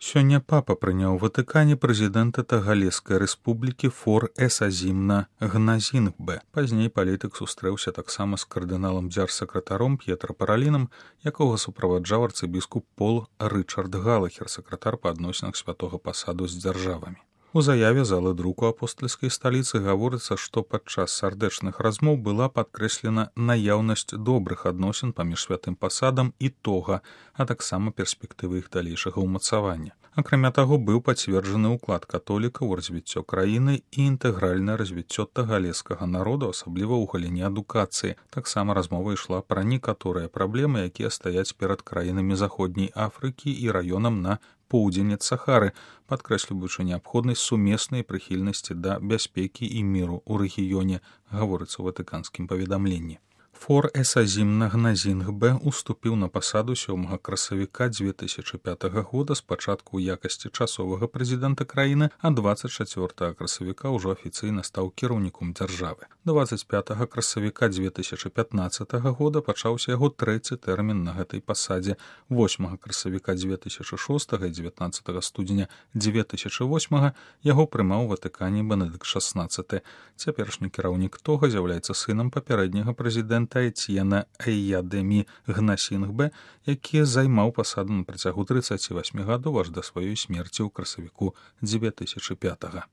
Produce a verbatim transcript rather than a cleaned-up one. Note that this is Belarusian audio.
Сёння папа прыняў у Ватыкане прэзідэнта Тагалескай рэспублікі Фор Эсазімна Гназінгбе. Пазней палітык сустрэўся таксама з кардыналам дзяржсакратаром П'етра Паралінам, якога суправаджаў арцыбіскуп Пол Рычард Галахер, сакратар па адносінах святога пасаду з дзяржавамі. У заяве залы друку апостальскай сталіцы гаворыцца, што падчас сардэчных размоў была падкрэслена наяўнасць добрых адносін паміж святым пасадам і тога, а таксама перспектывы іх далейшага ўмацавання. Акрамя таго, быў пацверджаны ўклад католікаў у развіццё краіны і інтэгральнае развіццё тагалескага народу, асабліва ў галіне адукацыі. Таксама размова ішла пра некаторыя праблемы, якія стаяць перад краінамі заходняй Афрыкі і раёнам на поўдзень ад Сахары, падкрэсліваючы неабходнасць сумеснай прыхільнасці да бяспекі і міру ў рэгіёне, гаворыцца ў ватыканскім паведамленні. Фор Эсазімна Гназінгбе уступіў на пасаду сёмага красавіка дзве тысячы пятага года спачатку ў якасці часовага прэзідэнта краіны, а дваццаць чацвёртага красавіка ўжо афіцыйна стаў кіраўніком дзяржавы. дваццаць пятага красавіка дзве тысячы пятнаццатага года пачаўся яго трэці тэрмін на гэтай пасадзе. восьмага красавіка дзве тысячы шостага і дзевятнаццатага студзеня дзве тысячы восьмага яго прымаў у Ватыкане Бенедыкт шаснаццаты. Цяперашні кіраўнік тога з'яўляецца сынам папярэдняга прэзідэнта Эцьена Эйядэмі Гнасінгбе, які займаў пасаду на працягу трыццаці васьмі гадоў аж да сваёй смерці ў красавіку дзве тысячы пятага.